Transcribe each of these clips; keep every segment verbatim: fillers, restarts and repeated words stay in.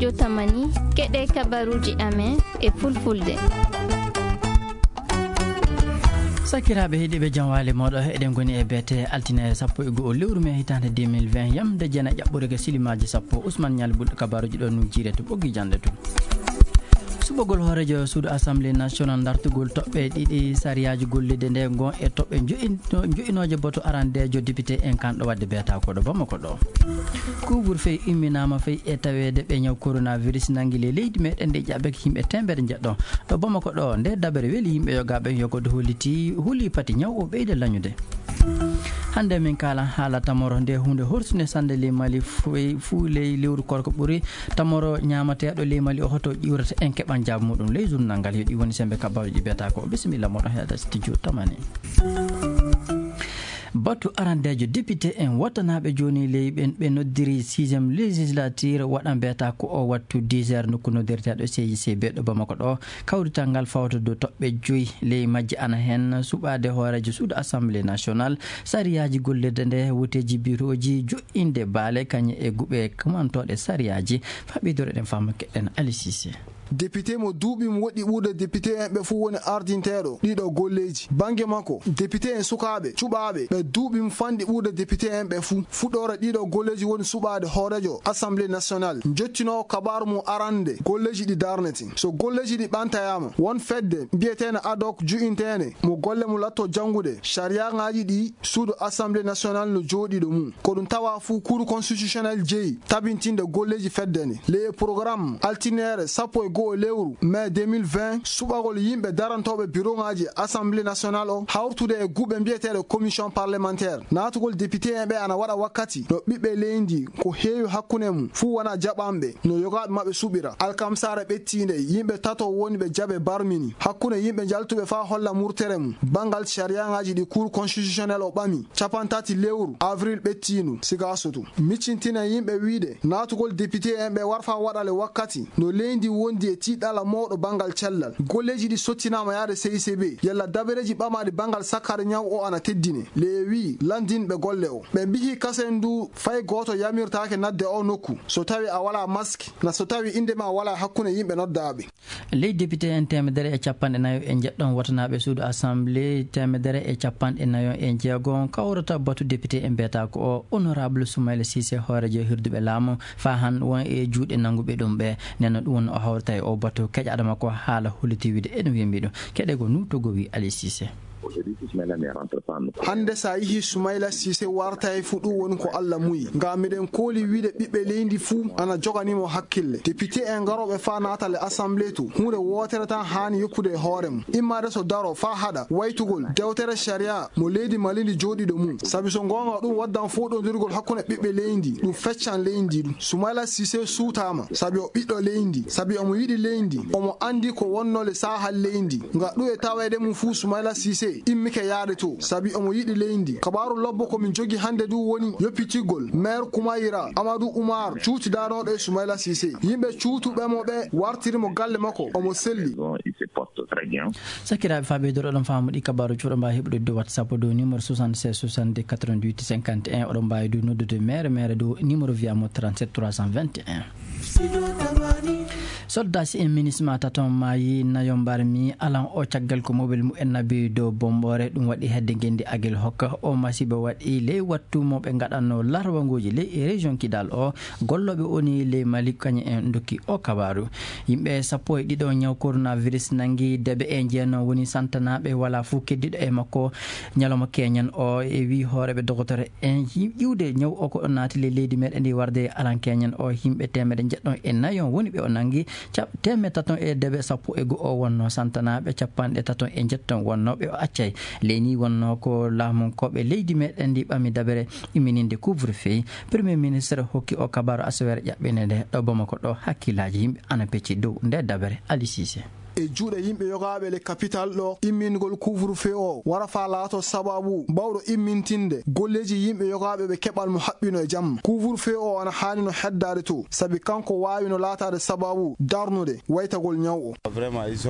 Yo tamani, keɗe kabaruuji amen e fulfulde. Sakiraaɓe heɗiiɓe, jam waali mooɗo. Eɗen ngoni e beete altine sappo e go'o lewru mee hitaande deux mille vingt, yamde jeenayi ƴaɓɓorige silimaaji sappo. Ousmane Nialy Bulɗo kabaaruuji ɗo no jiire to ɓoggi jannde to. Suɓagol hooreejo suudu Assemblée nationale, dartugol toɓɓe ɗiɗi sariyaaji gollirde nde ngon e toɓɓe jo'in-, jo'inooje batu arandeejo député en kan ɗo waɗde beeta ko ɗo Bamako ɗo. Couvre-feu imminaama fay e taweede ɓe ñaw coronavirus nangi le leydi meɗen ndi ƴaɓɓe yimɓe teemedere njeɗɗo. Ɗo Bamako ɗo, nde dabere weli yimɓe yogaaɓe yogode holliti huli pati ñaw o ɓeyda lañude. Hannde min kaala haala tamoro nde huunde horsunde sannde ley Mali fu-, fuu ley lewru korko ɓuri. Tamoro ñaamateeɗo ley Mali o hoto ƴiwrata en keɓan jaabu muɗum ley journal ngal. Yo ɗi woni sembe kabaruuji beeta ko. Bisimilla moɗon heɗa studio tamani. Batu arandeejo député en wattanaaɓe jooni ley ɓen ɓe noddiri sixième législature waɗan beeta ko o wattu dix heures nokku noddirteeɗo C I C B ɗo Bamako ɗo. Kawrital ngal fawta dow toɓɓe joyi, ley majje ana heen suɓaade hooreejo suudu Assemblée nationale, sariyaaji gollirde nde, woteeji birooji, jo'inde baale, kañe e guɓe kumantooɗe sariyaaji. Faa ɓeydoro eɗen faama keɗen Ali Cissé. Député mo duuɓi mo woɗɗi ɓurde député en ɓe fuu woni ardinteeɗo ɗiɗo golleeji. Bannge makko, député en sukaaɓe cuɓaaɓe ɓe duuɓi mo fanɗi ɓurde député en ɓe fuu. Fuɗɗoore ɗiɗo golleeji woni suɓaade hooreejo Assemblée nationale, jottinoowo kabaaru mum arande golleeji ɗi darnete. So golleeji ɗi ɓantayaama, won fedde mbiyeteene ad hoc ju'inteene mo golle mum latto janngude sariyaaŋaaji ɗi suudu Assemblée nationale no jooɗii ɗo mum. Ko ɗum tawa fuu Cour constitutionnelle jeyi tabintinde golleeji fedde nde. Ley programme altineere sappo e go'o lewru mai deux mille vingt, suɓagol yimɓe darantooɓe biroŋaaji Assemblée nationale o hawrutude e guɓe mbiyeteeɗe commission parlementaire. Naatugol député en ɓe ana waɗa wakkati no ɓiɓɓe leydi ko heewi hakkunde mum fuu wona jaɓanɓe no yogaaɓe maɓɓe suɓira. Alkamsaare ɓettiinde, yimɓe tato woni ɓe jaɓe barmini hakkunde yimɓe njaltuɓe faa holla murtere mum banngal sariyaaŋaaji ɗi Cour constitutionnelle o ɓami cappanɗe tati lewru avril ɓettiindu. Siga Sotu miccintinen yimɓe wiide naatugol député en ɓe warfa waɗale wakkati no leydi wondi e tiiɗalla mawɗo banngal cellal. Golleeji ɗi sottinaama yaade C I C B, yalla dabareeji ɓamaaɗi banngal sakkaade ñaw o ana teddine. Leye wi'i lanndinɓe golle o, ɓe mbihi kasen ndu fay gooto yamirtaake nadde o nokku so tawi a walaa mask, na so tawi innde ma walaa hakkunde yimɓe noddaaɓe. Ley député en teemedere e cappanɗe nayo e njeɗɗon watanaaɓe suudu Assemblée teemedere e cappanɗe nayo e jeego kawrata batu député en mbiyata ko o honorable Soumaïla Cissé, hooreejo hirduɓe laamu, faa han won e juuɗe nannguɓe ɗum ɓe. Nden noon ɗum woni o hawrata e o batu keƴaaɗo makko haala holliti wiide ene wembi ɗum. Keɗe ko nuutogo wi Ali Cissé. Hannde so a yihi Soumaïla Cissé warta e fuu ɗum woni ko Alla muyi. Ngam miɗen kooli wiide ɓiɓɓe leydi fuu ana joganii mo hakkille. Député en garooɓe faa naatale Assemblée to, huunde wootere tan haani yoppude e hoore mum. Immaade so daro faa haɗa waytugol dewtere sariya mo leydi Mali ndi jooɗiiɗo mum. Sabi so ngoonga ɗum waddan fooɗondirgol hakkunde ɓiɓɓe leydi, ɗum feccan leydi ɗum. Soumaïla Cissé suutaama sabi o ɓiɗɗo leydi, sabi omo yiɗi leydi, omo anndi ko wonnoo le saahal leydi. Nga ɗum e taweede mum fuu Soumaïla Cissé immike yaade to, sabi omo yiɗi leydi. Kabaaru lobbo ko min jogi hannde du woni yoppitigol maire Koumayra Amadou Oumar cuutidanooɗo e Soumaïla Cissé. Yimɓe cuutuɓe mo ɓe wartiri mo galle makko, omo selli. Sakiraaɓe, faa ɓeydoro ɗon faamu ɗi kabaaru cuuɗo mbaa heɓude dow WhatsApp dow numéro soixante-seize soixante-deux quatre-vingt-huit cinquante et un. Oɗon mbaawi du noddude mere mere dow numéro via mo trente-sept trois cent vingt et un. Soldaaji en minisma taton maayi nayo mbarmi alan o caggal ko mobel mumen nabi dow bomboore. Ɗum waɗi hedde ngendi Agel Hokka o masiba waɗi ley wattu mo ɓe ngaɗanno larwanguji ley e région Kidal o. Gollooɓe oni ley Mali kañum en dokki o kabaaru. Yimɓe sappo e ɗiɗo ñaw coronavirus nangi, deeɓe e jeenayo woni santanaaɓe, walaa fuu keddiiɗo e makko. Ñalawma keñen o e wii hooreeɓe dogotore en ƴiwde ñaw o ko ɗo naati ley leydi meɗen ndi warde alan keñen o. Yimɓe teemedde njeɗɗon e nayo woni ɓe o nangi. Cap-, teemedde taton e deeɓe sappo e go'o wonno santanaaɓe, cappanɗe taton e njeɗɗon wonno ɓe o accay. Ley ni wonno ko laamunkooɓe leydi meɗen ndi ɓami dabere immininde couvre-feu. Premier ministre hokki o kabaaru asaweere ƴaɓɓinde nde ɗo Bamako ɗo hakkillaaji yimɓe ana pecci dow nde dabere. Ali Cissé. E juuɗe yimɓe yogaaɓe le capital ɗo, immingol couvre-feu o wara faa laato sababu bawɗo immintinde golleeji yimɓe yogaaɓe ɓe keɓal mo haɓɓino e jamma. Couvre-feu o ana haani no heddaade to, sabi kanko waawi no laataade sababu darnude waytagol ñaw o.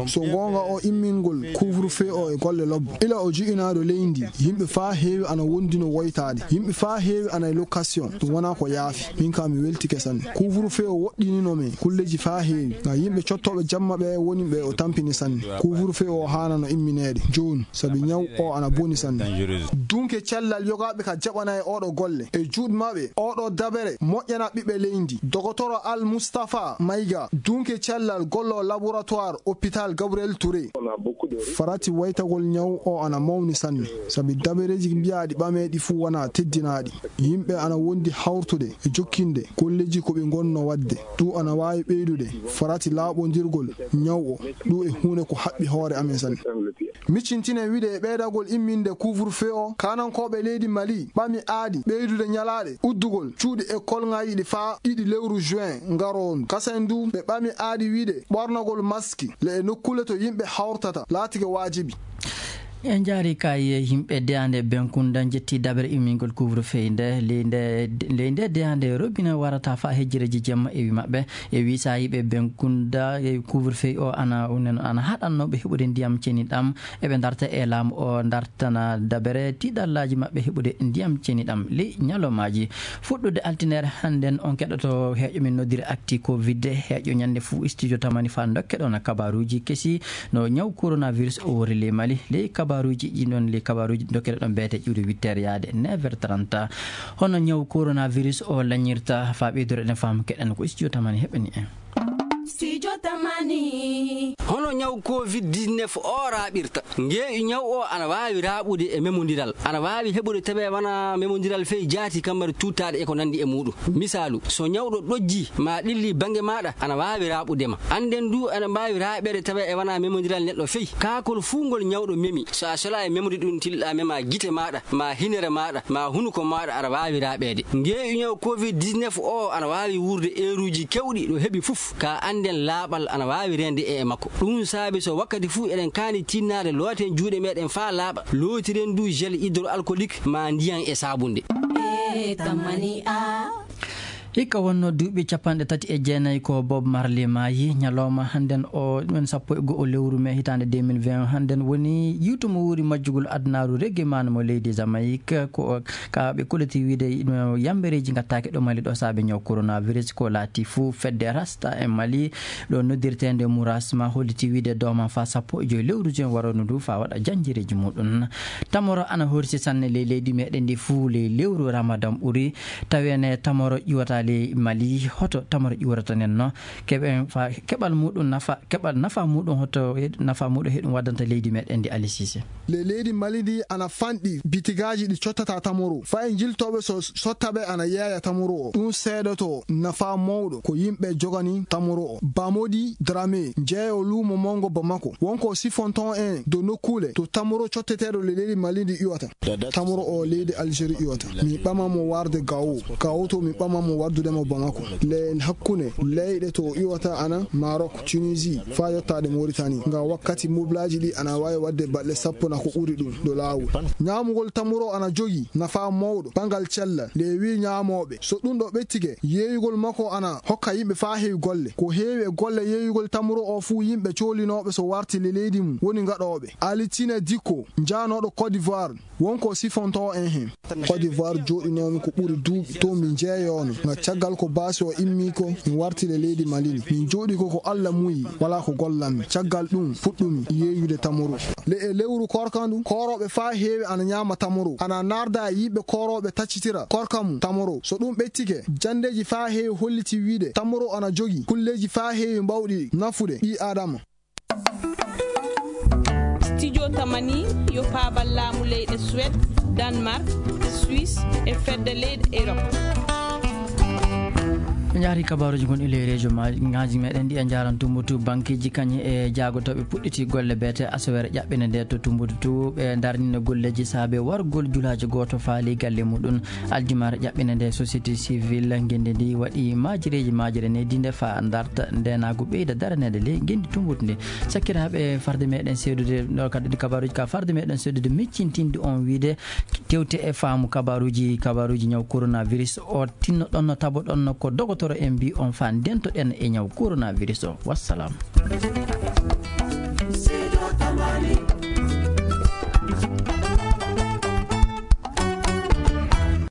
So goonga o immingol couvre-feu o e golle lobbo. Ila o ji'inaaɗo leydi, yimɓe faa heewi ana wondi no woytaade. Yimɓe faa heewi ana e location. Ɗum wonaa ko yaafi. Min kaa mi weltike sanne. Couvre-feu o woɗɗinino men kulleeji faa heewi. Nga yimɓe cottooɓe jamma ɓe woni ɓe o tampini sanne. Couvre-feu o haana no immineede jooni, sabi ñaw o ana boni sanne. Dunke cellal yogaaɓe ka jaɓana e oɗo golle. E juuɗe maɓɓe, oɗo dabere moƴƴana ɓiɓɓe leydi. Dogotoro Al Mustafa Mayga, dunke cellal gollo laboratoire hôpital Gabriel Touré. Farati waytagol ñaw o ana mawni sanne, sabi dabereeji mbiyaaɗi ɓameeɗi fuu wonaa teddinaaɗi. Yimɓe ana wondi hawrtude e jokkinde golleeji ko ɓe ngonno waɗde. Ɗum ana waawi ɓeydude farati laaɓondirgol ñaw o. Ɗum e huunde ko haɓɓi hoore amen sanne. Miccintinen wiide e ɓeydagol imminde couvre-feu o, kaanankooɓe leydi Mali ɓami aadi ɓeydude ñalaaɗe uddugol cuuɗi ekolŋaaji ɗi faa ɗiɗi lewru juin ngaroondu. Kasen du, ɓe ɓami aadi wiide ɓornagol maski le e nokkuule to yimɓe hawrtata laatike waajibi. En njaari kay yimɓe deyaande Benkunda njetti daɓere immingol couvre-feu nde, ley nde, ley nde deyaande robina warata faa hejjireeji jemma e wi maɓɓe. E wi saayiiɓe Benkunda, e couvre-feu o ana, ana haɗannoo ɓe heɓude ndiyam ceniɗam. Eɓe ndarta e laamu o ndartana daɓere tiiɗallaaji maɓɓe heɓude ndiyam ceniɗam ley ñalawmaaji. Fuɗɗude altine hannden on keɗoto heeƴo min noddiri actu covid. Heeƴo ñannde fuu studio tamani faa ndokke ɗon kabaaruuji kesi no ñaw coronavirus o wori ley Mali. Ley kabaaruuji ɗin ɗon, ley kabaaruuji ndokke ɗon beete ƴiwde huit heures yaade neuf heures trente. Hono ñaw coronavirus o lañirta faa ɓeydude ɗen faamu keɗen ko studio tamani heɓani en. Studio Tamani. Hono ñaw covid dix-neuf o raaɓirta? Ngeeƴu ñaw o ana waawi raaɓude e memondiral. Ana waawi heɓude tawi wonaa memondiral fey jaati, kammari tuuttaaɗe e ko nanndi e muuɗum. Misaalu, so ñawɗo ɗojji maa ɗilli bannge maaɗa, ana waawi raaɓude ma. Annden du, ana mbaawi raaɓeede tawi e wonaa memondiral neɗɗo fey. Kaakol fuu ngol ñawɗo memi, so a solaa e memde ɗum, tilɗaa memaa gite maaɗa, maa hinere maaɗa, maa hunuko maaɗa, aɗa waawi raaɓeede. Ngeeƴu ñaw covid dix-neuf o ana waawi wuurde eeruuji keewɗi ɗo heɓi fof, kaa annden laaɓal ana waawi reende e e makko. Ɗum saabi so wakkati fuu eɗen kaani tinnaade, looten juuɗe meeɗen faa laaɓa, lootiren du gel hydroalcoolique maa ndiyan e saabunde. E tamani a. Hikka wonnoo duuɓi cappanɗe tati e jeenayi ko Bob Marley maayi. Ñalawma hannden o, ɗumen sappo e go'o lewru mee hitaande deux mille vingt, hannden woni yiwtu mo wuuri majjugol adunaaru reggae man mo leydi Jamaïque. Ko ka ɓe koliti wiide no yambereeji ngattaaki ɗo Mali ɗo saabe ñaw coronavirus. Ko laati fuu fedde Rasta e Mali ɗo noddirteende Murasma holliti wiide dooma faa sappo e joy lewru juin warono ndu faa waɗa janjireeji muuɗum. Tamoro ana horsi sanne ley leydi meeɗen ndi fuu ley lewru Ramadan ɓuri. Tawi ene tamoro ƴiwata ley Mali, hoto tamoro ƴiwrata nen no? Keɓen fa-, keɓal muuɗum nafa, keɓal nafa muuɗum hoto he-, nafa muuɗum heɗum waddanta leydi meeɗen ndi, Ali Cissé? Le leydi Mali ndi ana fanɗi bitigaaji ɗi cottata tamoro. Faa e jiltooɓe so sotta ɓe ana yeeya tamoro o. Ɗum seedoto nafa mawɗo ko yimɓe jogani tamoro o. Bamodi Dramé, jeeyo luumo mawngo Bamako. Wonko sifonto en dow nokkuule to tamoro cotteteeɗo le leydi Mali ndi ƴiwata. Tamoro o leydi Algérie ƴiwata. Mi ɓama mo warde Gao. Gao to mi ɓama mo wardude mo Bamako. Le hakkunde leyɗe to ƴiwata ana Maroc, Tunisie, faa yottaade Mauritanie. Nga wakkati moblaaji ɗi ana waawi waɗde balɗe sappo na ko ɓuri ɗum dow laawol. Ñaamugol tamoro ana jogii nafa mawɗo banngal cellal. Le wi ñaamooɓe. So ɗum ɗo ɓettike, yeeyugol makko ana hokka yimɓe faa heewi golle. Ko heewi e golle yeeyugol tamoro o fuu yimɓe coolinooɓe so warti le leydi mum woni gaɗooɓe. Alitine Dikko, jaanooɗo Côte d'Ivoire. Wonko sifonto en hen. Côte d'Ivoire jooɗinoomi ko ɓuri duuɓi to mi jeeyoono. Nga caggal ko baasi o immi ko, mi warti le leydi Mali ndi. Min jooɗi ko, ko Alla muyi, walaa ko gollammi. Caggal ɗum, fuɗɗumi yeeyude tamoro. Le e lewru koorka ndu, koorooɓe faa heewi ana ñaama tamoro. Ana naarda e yimɓe koorooɓe taccitira koorka mum tamoro. So ɗum ɓettike, janndeeji faa heewi holliti wiide tamoro ana jogii kulleeji faa heewi mbawɗi nafude ɓii Aadama. Studio Tamani yo paabal laamu leyɗe Suède, Danemark, Suisse e fedde leyɗe Europe. Ɓe njaari kabaruuji gon e ley rejo ma-, ŋaaji meɗen ɗi e njaaran Tumbutu. Bankeeji kañe e jaagotooɓe puɗɗiti golle beete asawere ƴaɓɓinde nde to Tumbutu to. Ɓe darnina golleeji saabe wargol julaaji gooto faali galle muɗum. Aljumare ƴaɓɓinde nde société civile ngenndi ndi waɗi maajireeji maajire ne dinde fa darta ndenaagu ɓeyda daraneede ley ngenndi Tumbutu ndi. Sakkiraaɓe farde meɗen seedude ɗo kadi ɗi kabaruuji ka farde meɗen seedude miccintinde on wiide tewte e faamu kabaruuji, kabaruuji ñaw coronavirus o tinno ɗon no tabo ɗon no ko dogotoro en mbi on fa ndento ɗen e ñaw coronavirus o. Wassalam.